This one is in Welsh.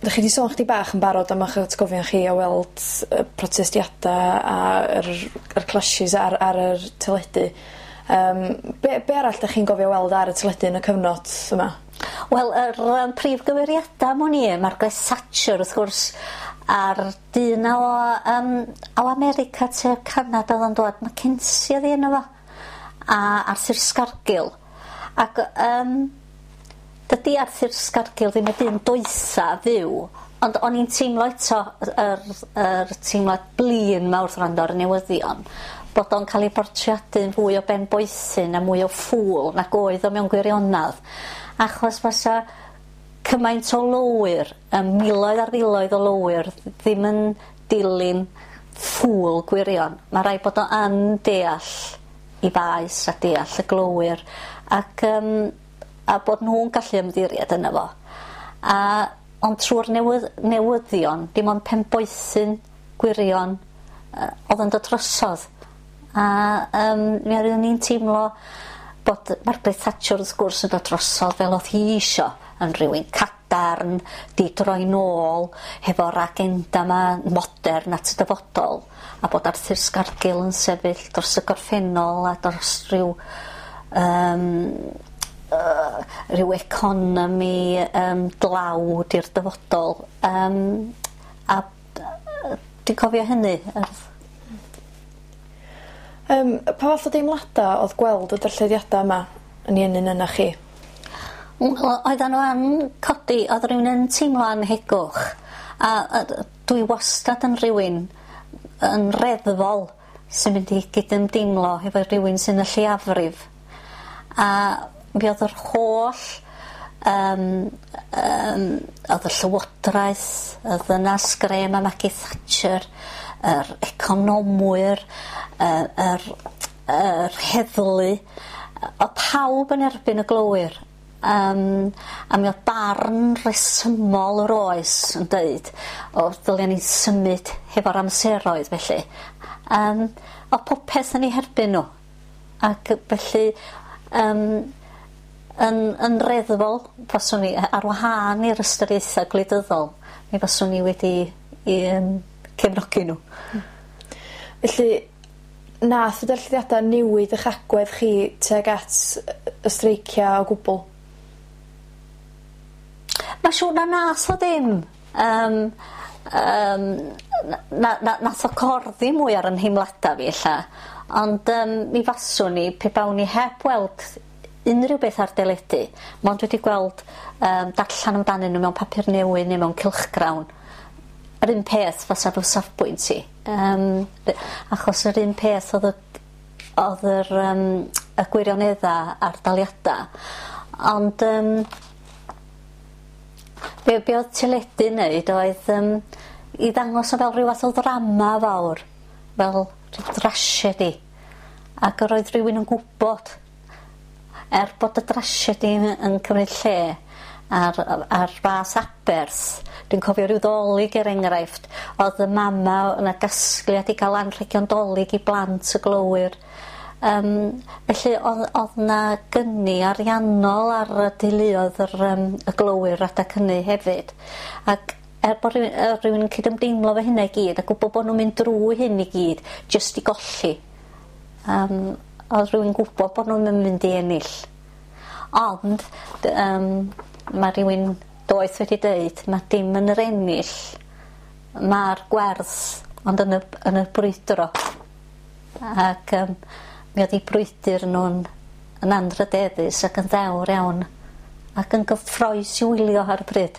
Dych chi 'di sôn chydig bach yn barod am 'ych atgofion chi o weld y protestiada a'r yr clashes ar ar yr teledu. Yym be' be' arall 'dach chi'n gofio weld ar y teledu yn y cyfnod yma? Wel yr yym prif gymeriada am wn i Margaret Thatcher wrth gwrs a'r dyn 'na o yym o America tua Canada o'dd o'n dwad Mackenzie o'dd 'i enw fo? A Arthur Scargill ac yym dydi Arthur Scargill ddim y dyn doetha fyw ond o'n i'n teimlo eto yr yr yr teimlad blin 'ma wrth wrando ar y newyddion bod o'n ca'l ei bortreadu'n fwy o ben boethyn a mwy o ffŵl nag oedd o mewn gwirionadd achos fasa cymaint o lowyr y miloedd ar filoedd o lowyr ddim yn dilyn ffŵl gwirion. Ma' raid bod o yn deall 'i faes a deall y glowyr ac yym a bod nw'n gallu ymddiried yno fo. A ond trw'r newydd- newyddion dim ond penboethyn gwirion yy o'dd yn dod drosodd. A yym mi oeddwn i'n teimlo bod Margaret Thatcher wrth gwrs yn dod drosodd fel o'dd hi isio yn rywun cadarn 'di droi nôl hefo'r agenda 'ma modern at y dyfodol a bod Arthur Scargill yn sefyll dros y gorffennol a dros ryw yym yy ryw economi yym dlawd i'r dyfodol yym a dwi'n cofio hynny yr... Yym pa fath o deimlada o'dd gweld y darllediada yma yn 'u ennyn yna chi? Wel oeddan n'w yn codi o'dd rywun yn teimlo anhegwch a a d- dwi wastad yn rhywun yn reddfol sy'n mynd i gydymdeimlo hefo rhywun sy'n y lleiafrif a mi o'dd yr holl yym yym o'dd y llywodraeth y ddynas grê 'ma Maggie Thatcher yr economwyr yy yr yr heddlu o'dd pawb yn erbyn y glowyr yym a mi o'dd barn resymol yr oes yn deud o ddylia ni symud hefo'r amseroedd felly yym o'dd popeth yn 'u herbyn n'w ac felly yym yn yn reddfol faswn i ar wahân i'r ystyriaetha gwleidyddol mi faswn i wedi i yym cefnogi n'w. Hmm. Felly nath y darllediada newid 'ych agwedd chi tuag at y streicia o gwbwl? Ma' siŵr na nath o ddim yym yym na na nath o corddi mwy ar 'yn nheimlada fi ella ond yym mi faswn i pe bawn i heb weld unrhyw beth ar deledu mond wedi gweld yym darllan amdanyn n'w mewn papur newydd ne' mewn cylchgrawn yr un peth fysa fy safbwynt i yym achos yr un peth o'dd y o'dd yr yym y gwirionedda a'r daliada ond yym be' be' o'dd teledu'n neud oedd yym i ddangos o fel ryw fath o ddrama fawr fel rhyw drasiedi ac yr oedd rywun yn gwbod er bod y drasiedi yn yn cymryd lle ar ar fath aberth dwi'n cofio ryw ddolig er enghraifft o'dd y mama o' 'na gasgliad i ga'l anrhegion 'Dolig i blant y glowyr yym felly o'dd o'dd 'na gyni ariannol ar y deuluodd yr yym y glowyr adag hynny hefyd ac er bo' rywun yy rywun yn cydymdeimlo efo hynna i gyd a gwbo bo' nw'n mynd drw hyn i gyd jyst i golli yym o'dd rywun gwbo bo' nw'm yn mynd i ennill. Ond dy- yym ma' rywun doeth wedi deud ma' dim yn yr ennill ma'r gwerth ond yn y yn y brwydro. Ac yym mi o'dd 'u brwydyr nw'n yn anrhydeddus ac yn ddewr iawn ac yn gyffrous i'w wylio ar y pryd.